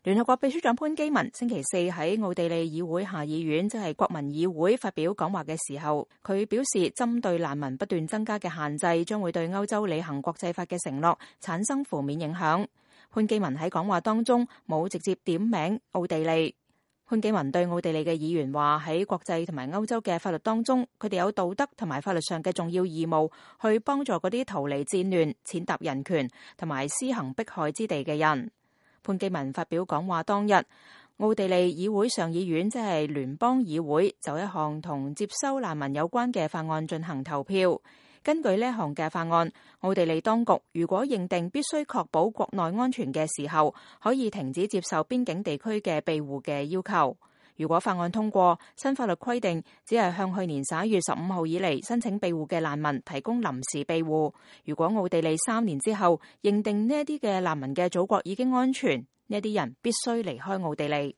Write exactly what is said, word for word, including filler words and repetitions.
聯合國秘書長潘基文星期四喺奧地利議會下議院，即係國民議會發表講話嘅時候，佢表示針對難民不斷增加嘅限制，將會對歐洲履行國際法嘅承諾產生負面影響。潘基文喺講話當中冇直接點名奧地利。潘基文對奧地利嘅議員話，喺國際同埋歐洲嘅法律當中，佢哋有道德同埋法律上嘅重要義務，去幫助嗰啲逃離戰亂、踐踏人權同埋施行迫害之地嘅人。潘基文發表講話當日，奧地利議會上議院即係聯邦議會就一項同接收難民有關嘅法案進行投票。根據呢一項嘅法案，奧地利當局如果認定必須確保國內安全嘅時候，可以停止接受邊境地區嘅庇護嘅要求。如果法案通過，新法律規定只係向去年十一月十五號以嚟申請庇護嘅難民提供臨時庇護。如果奧地利三年之後認定呢一啲嘅難民嘅祖國已經安全，呢一啲人必須離開奧地利。